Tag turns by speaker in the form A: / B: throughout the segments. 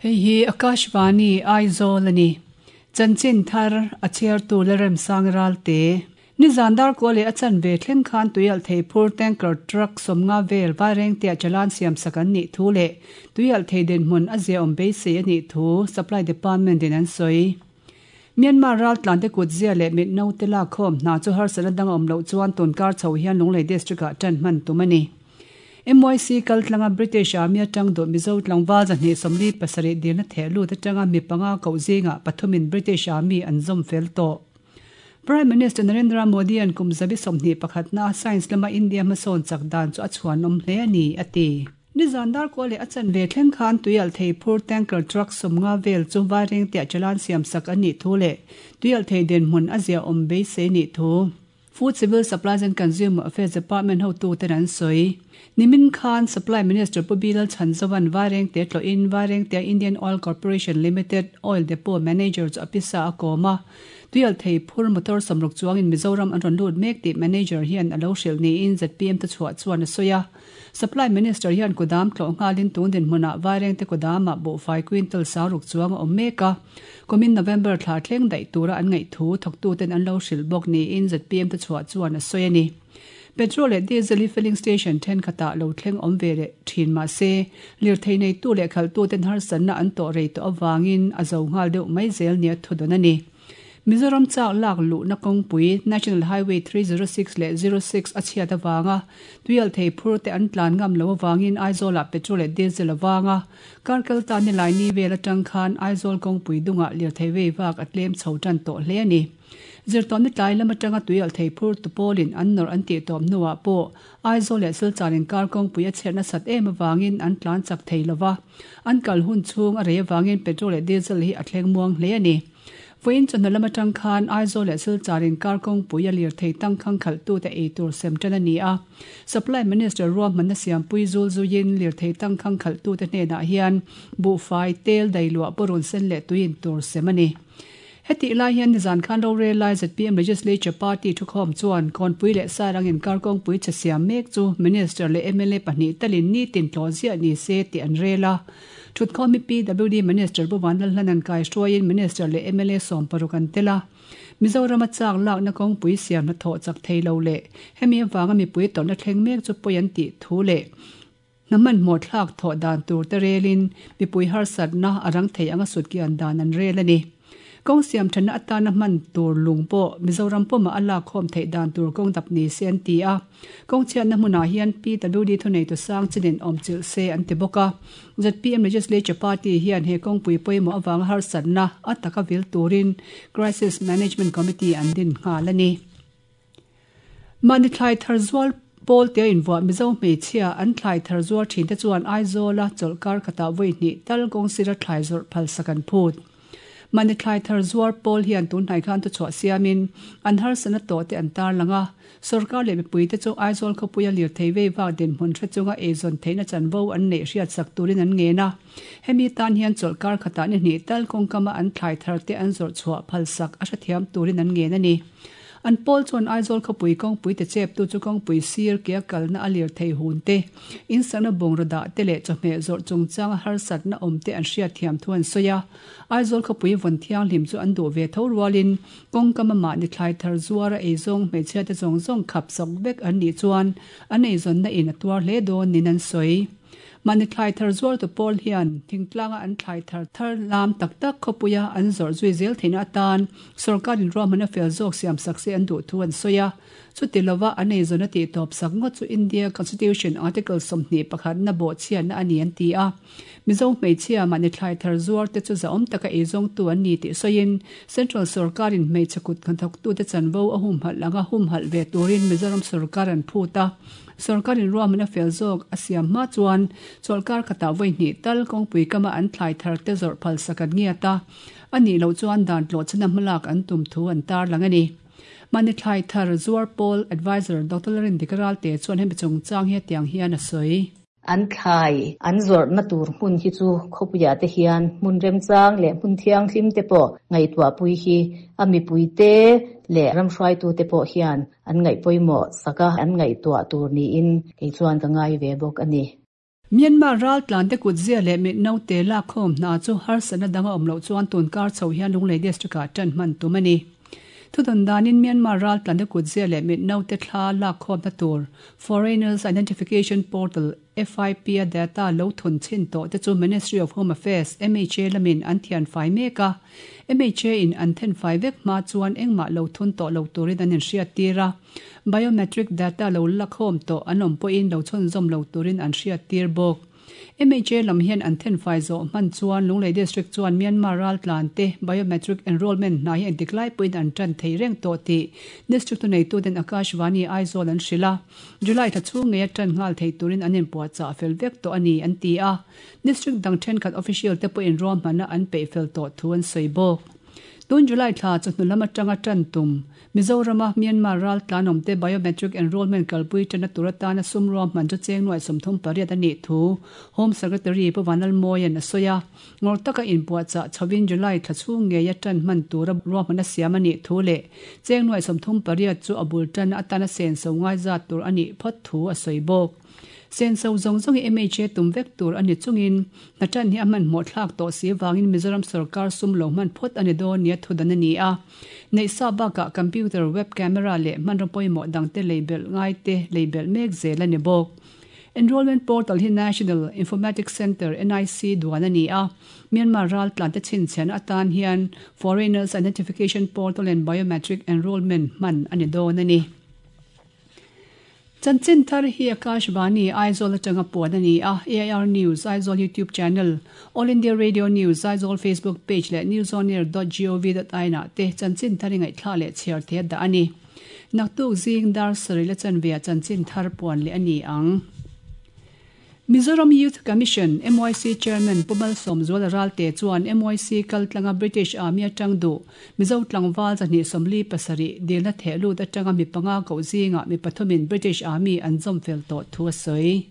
A: Hei hi Akashvani Aizawl a ni. Chanchin thar a chhiartu Lalremsang Ralte. Nizan darkaw leh a chanve thleng khan tuialh thei phur tanker truck 50 vel Vairengtea chalan siamsak an nih thu leh tuialh thei dinhmun a ziaawm beisei a nih thu Supply Department in an sawi. Myanmar raltlante kut zia leh mit naute lakkhawm hna chu harsatna dang a awm loh chuan tunkar chho hian Lunglei District ah tan hman tum a ni. MYC kaltlanga British Army atang duh Mizo tlangval 247 dilna theh lut atanga mi panga koh zingah pathumin British Army an zawm fel tawh. Prime Minister Narendra Modi an kum 21 na science lama India hmasawn chak dan chu a chhuanawm hle a ni, a ti. Nizan darkaw leh a chanve thleng khan tuialh thei phur tanker truck 50 vel chu Vairengtea chalan siamsak an nih thu leh tuialh thei dinhmun a ziaawm beisei nih thu Food Civil Supplies and Consumer Affairs Department hotuten an sawi. Nimin khan Supply Minister Pu Bilal Chhanzovan Vairengte tlawhin Vairengtea Indian Oil Corporation Limited Oil Depot Manager chu a pisa a kawm a. Tuialh thei phur motor 60 chuangin Mizoram an rawn lut mek tih manager hian a lo hrilh niin ZPM thuchhuah chuan a sawi a. Supply Minister hian kudam tlawh nghalin tun dinhmunah Vairengte kudamah buhfai quintal 60 chuang a awm mek a. Kumin November thla thleng daih tura an ngaih thu thawktuten an lo hrilh bawk niin ZPM thuchhuah chuan a sawi a ni. Petrol leh diesel hi filling station thenkhatah lo thleng awm ve leh thin mah se, lirthei neitu leh khalhtuten harsatna an tawh rei tawh avangin a zo nghal deuh mai zel nia thudawn a ni. Mizoram chak lak luhna kawngpui National Highway 306 leh 06 a chhiat avanga tuialh thei phur te an tlan ngam lo avangin Aizawlah petrol leh diesel avanga karkal ta ni lai ni vel atang khan Aizawl kawngpui dungah lirthei vei vak a tlem chho tan tawh hle a ni. Zirtawm ni tlai lam atanga tuialh thei phur tu pawlin an nawrh an tih tawp hnuah pawh Aizawl leh Silchar inkar kawngpui a chhiatna sat em avangin an tlan chak thei lova. An kal hun chhung a rei avangin petrol leh diesel hi a thleng muang hle a ni. Vawiin chawhnu lam atang khan Aizawl leh Silchar inkar kawngpui a lirthei tangkhang khalhtute ei tur sem tan a ni a. Supply Minister ruahmanna siampui zul zuiin lirthei tangkhang khalhtute hnenah hian buhfai, tel, dailuah, purun sen leh tuiin tur sem a ni. Heti lai hian nizan khan rorel lai ZPM Legislature Party thukhawm chuan Kawnpui leh Sairang inkar kawngpui che siam mek chu Minister leh MLA pahnih talin ni tin tlawh ziah ni se tih an rel a. Thutkhawm hi PWD Minister Pu Vanlalhlan an kai hruaiin Minister leh MLA 60 an tel a. Mizoram a chak lakna kawngpui siam hnathawh chak thei lo leh hemi avanga mipui tawrhna thleng mek chu pawi an tih thu leh hna hmanhmawh thlak thawh dan tur te relin mipui harsatna a rang thei anga sutkian dan an rel a ni. Kawng siam thana atana hman tur lung pawh Mizoram pawmah a lak khawm theih dan tur kawng dap ni se an ti a. Kawng chhiatna hmunah hian PWD thunei tu sang chinin awm chilh se an ti bawk a. ZPM Legislature Party hian he kawngpui pawimawh awanga harsatna a taka vil turin Crisis Management Committee an din nghal a ni. Mani thlai thar zual pawl te invuah Mizo hmeichhia an thlai thar zual thin te chuan Aizawla chawlhkar khatah vawi hnih tal kawng sira thlai zawrh phal sak an phut. Mani thlai thar zuar pawl hian tun hnai khan thuchhuah siamin an harsatna tawh te an tar lang a. Sarkar leh mipui te chu Aizawl khawpuia lirthei vei vak dinhmun hre chunga eizawn theihna chanvo an neih hriat sak turin an ngen a. Hemi tan hian chawlhkar khatah ni hnih tal kawngkama an thlai thar te an zawrh chhuah phal sak a hrethiam turin an ngen a ni. An pawl chuan Aizawl khawpui kawngpui te chep tu chu kawngpui sir ke a kalna a lirthei hun te, insakna bungraw dah te leh chawhmeh zawrh chungchanga harsatna awm te an hriat thiam thu an sawi a. Aizawl khawpui vawn thianghlim chu an duh ve tho rualin kawngkama mahni thlai thar zuara eizawng hmeichhia te zawng zawng khap sak vek an nih chuan an eizawnna in a tuar hle dawn nin an sawi. Mahni thlai thar zuar tu pawl hian thingtlanga an thlai thar thar lam tak tak khawpuia an zawrh zui zel theihna atan sarkarin ruahmanna fel zawk siam sak se an duh thu an sawi a. Chuti lova an eizawnna tih tawp sak ngawt chu India Constitution Article 21 na bawh chhiatna a ni an ti a. Mizo hmeichhia mahni thlai thar zuar te chu zaawm taka eizawng tu an ni tih sawiin Central sarkarin hmeichhe kut hnathawk tu te chanvo a humhalh anga humhalh ve turin Mizoram sarkar an phut a. Sarkarin ruahmanna fel zawk a siam hma chuan chawlhkar khatah vawi hnih tal kawngpui kama an thlai thar te zawrh phal sak an ngiat a. Ani lo chuan dan tlawh chana hmalak an tum thu an tar lang a ni. Mani thlai thar zuar pawl advisor Dr. Larin Dikaral te chuan hemi chungchang hi tiang hian a sawi.
B: An thlai an zawrhna tur hmun hi chu khawpuia te hian hmun remchang leh hmun thianghlim te pawh ngaihtuah pui hi a mipui te leh ramhruaitu te pawh hian an ngaih pawimawh saka an ngaihtuah tur niin kei chuan ka ngai ve bawk a ni.
A: Myanmar raltlante kutzia leh mit naute lakkhawm hna chu harsatna dang a awm loh chuan tunkar chho hian Lunglei District-ah tan hman tum a ni. Thudawn danin Myanmar raltlante kutzia leh mit naute thla lakkhawmna tur Foreigners Identification Portal, FIP, a data lo thun chhin tawh te chu Ministry of Home Affairs, MHA, lamin an thian fai mek a. MHA in an then fai vek hma chuan engmah lo thun tawh lo turin an inhriattir a. Biometric data lo lakhawm tawh an awm pawhin lo chhunzawm lo turin an hriattir bawk. MHA lam hian an thenfai zawh hman chuan Lunglei District chuan Myanmar raltlante biometric enrollment hna hi engtik lai pawhin an tan thei reng tawh tih District thuneituten Akashvani Aizawl an hrilh a, July thla chhung ngeia tan nghal thei turin an inpuahchah fel vek tawh a ni an ti a, District dang thenkhat official te pawhin ruahmanna an peih fel tawh thu an sawi bawk. Tun July thla chawhnu lam atanga tan tum Mizorama Myanmar ral tlanawmte biometric enrollment kalpui ṭanna tur atana sum ruahman chu cheng nuaih 38 a nih thu Home Secretary Pu Vanlalmawia'n a sawi a. Ngawrh taka inpuahchah chhovin July thla chhung ngeia ṭan hman tura ruahman a siam a nih thu leh cheng nuaih 38 chu a bul ṭanna atana senso ngai zat tur a nih phawt thu a sawi bawk. Senso zawng zawng hi MHA tum vek tur a ni chungin hna ṭan hi a hmanhmawh thlak tawh si vangin Mizoram sorkar sum lo hman phawt a ni dawn nia thudan a ni a. Neih sa bakah computer, web camera leh hmanraw pawimawh dangte lei belh ngaite lei belh mek zel a ni bawk. Enrollment portal hi National Informatics Centre, NIC, duan a ni a, Myanmar raltlante chhinchhiahna atan hian Foreigners Identification Portal and Biometric Enrollment hman a ni dawn a ni. Chanchin thar hi Akashvani, Aizawl atanga puan a ni a, AIR News, Aizawl YouTube channel, All India Radio News, Aizawl Facebook page leh newsonair dot gov dot in ah te chanchin thar i ngaihthla leh chhiar thei a dah a ni. Naktuk zing dar sarih la chanve ah chanchin thar puan leh a ni ang. Mizoram Youth Commission, MYC, Chairman Pu Malsawmzuala Ralte chuan MYC kal tlanga British Army atang duh Mizo tlangval 247 dilna theh lut atanga mi panga koh zingah mi pathumin British Army an zawm fel tawh thu a sawi.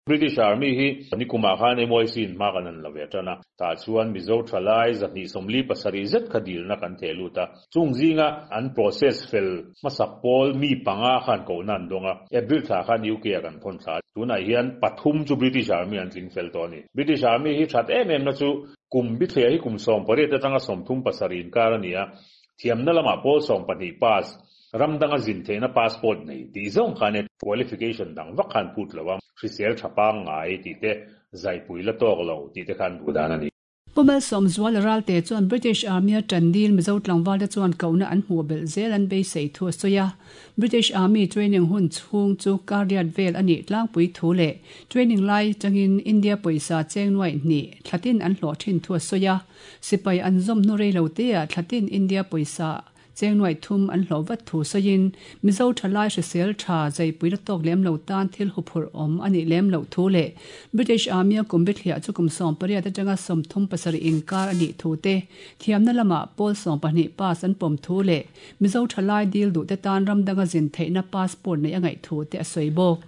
C: British Army hi nikumah khan MYC in hma kan han la ve tan a, tah chuan Mizo thalai 247 zet kha dilna kan theh lut a. Chung zinga an process fel hmasak pawl mi panga khan kohna an dawng a, April thla khan UK ah kan thawn thla a, tunah hian pathum chu British Army an tling fel tawh a ni. British Army hi that em em na chu kum bithliah hi kum 18 atanga 37 inkar a ni a, thiamna lamah pawl 12 pass, ram danga zin theihna passport nei tih zawng khan e qualification dang vak khan phut lo a, hrisel tha pangngai tih te, zaipui la tawk lo tih te khan duh dan a ni.
A: Pu Malsawmzuala Ralte chuan British Army a ṭan dil Mizo tlangvalte chuan kohna an hmuh belh zel an beisei thu a sawi a. British Army training hun chhung chu kar riat vel a nih tlangpui thu leh training lai changin India pawisa cheng nuaih hnih thlatin an hlawh ṭhin thu a sawi a. Sipai an zawm hnu rei lo teah thlatin India pawisa Cheng nuaih thum an hlawh vat thu sawiin, Mizo thalai hrisel tha zaipui la tawk lem lo tan thil huphurh awm a nih lem loh thu leh British Army-a kum bithliah chu kum 18 atanga 37 inkar a nih thu te, thiamna lamah pawl 12 pass an pawm thu leh Mizo thalai dil duhte tan ram danga zin theihna passport neih a ngaih thu te a sawi bawk.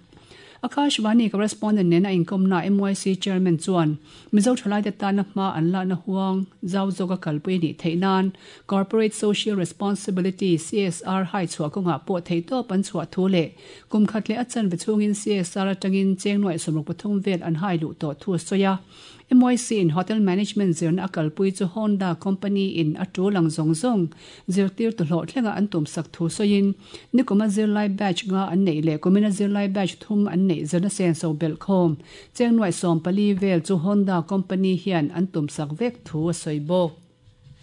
A: Akashvani correspondent nena inkawmna MYC Chairman chuan Mizo thalaite tana hma an lakna huang zau zawka kalpui a nih theih nan Corporate Social Responsibility, CSR, hai chhuah kawngah pawh theihtawp an chhuah thu leh kum khat leh a chanve chhungin CSR atangin cheng nuaih 63 vel an hai luh tawh thu a sawi a. MYC in Hotel Management zirna a kalpui chu Honda Company in a tul ang zawng zawng zirtirtu hlawhthlenga an tumsak thu sawiin nikuma zirlai batch nga an neih leh kumina zirlai batch thum an neih zirna senso belh khawm cheng nuaih 14 vel chu Honda Company hian an tumsak vek thu a sawi bawk.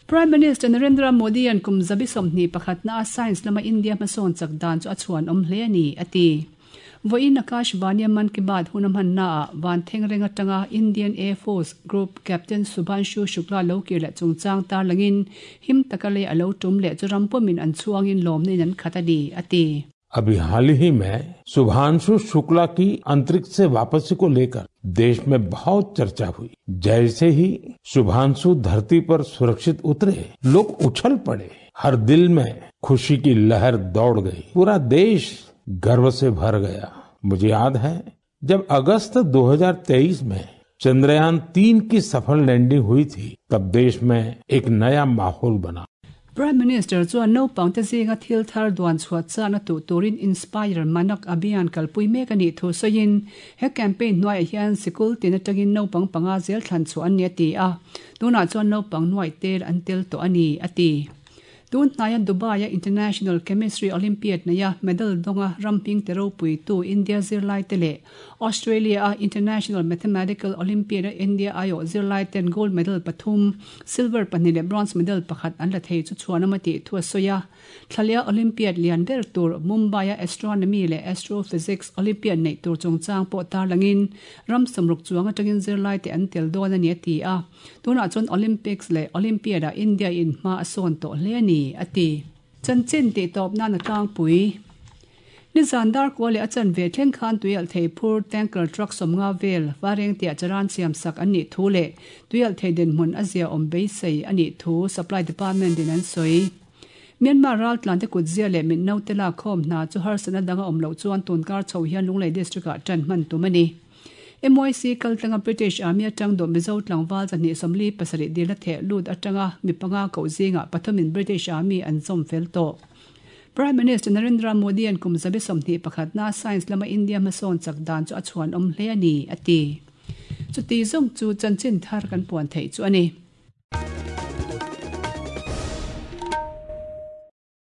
A: Prime Minister Narendra Modi an kum zabi 21 na a science lama India hmasawn chak dan chu a chhuan awm hle a ni, a ti. Vawiin Akashvani Mann Ki Baat hun a hmannaah Van Thengreng atanga Indian Air Force Group Captain Shubhanshu Shukla lo kir leh chungchang tarlangin him taka lei a lo tum leh chu ram pawmin an chhuangin lawmna in an khat a ni, a ti.
D: अभी हाल ही में शुभांशु शुक्ला की अंतरिक्ष से वापसी को लेकर देश में बहुत चर्चा हुई। जैसे ही शुभांशु धरती पर सुरक्षित उतरे, लोग उछल पड़े, हर दिल में खुशी की लहर दौड़ गई, पूरा देश गर्व से भर गया। मुझे याद है जब अगस्त 2023 में चंद्रयान 3 की सफल लैंडिंग हुई थी, तब देश में एक नया माहौल बना।
A: Prime Minister chuan naupangte zinga thil thar duan chhuah chakna tuh turin Inspire Manak Abhiyan kalpui mek a nih thu sawiin, he campaign hnuaiah hian sikul tin atangin naupang panga zel thlan chhuah an ni a ti a, tunah chuan naupang nuaih tel an tel tawh a ni, a ti. Tun hnaia Dubai-a International Chemistry Olympiad neia medal dawnga ram hmingte ropuitu India zirlaite leh Australia-a International Mathematical Olympiad-a India aiawh zirlaiten gold medal pathum, silver pahnih leh bronze medal pakhat an la thei chu chhuanawm a tih thu a sawi a. Thlalia Olympiad lian ber tur Mumbai-a Astronomy leh Astrophysics Olympiad neih tur chungchang pawh tarlangin ram sawmruk chuang atangin zirlaite an tel dawn a ni a ti a. Tunah chuan Olympics leh Olympiad ah India in hma a sawn tawh hle a ni, a ti. Chanchin tih tawp nan a tlangpui. Nizan darkua leh a chanve thleng khan tuialhthei phur tanker truck 50 vel Varengtiah charan siam sak an nih thu leh tuialhthei dinhmun a zia awm beisei a nih thu Supply Department in an sawi. Myanmar raltlante kutzia leh mitnaute lakkhawm hna chu harsatna dang a awm loh chuan tunkar chho hian Lunglei District ah tan hman tum a ni. MYC kaltlanga British Army atang dawh Mizo tlangval 247 dilna theh lut atanga mi panga koh zingah pathumin British Army an zawm fel tawh. Prime Minister Narendra Modi-a'n kum 21 na Science lama India hmasawn chak dan chu a chhuanawm hle a ni, a ti. Chuti zawng chu chanchin thar kan puan theih chu a ni.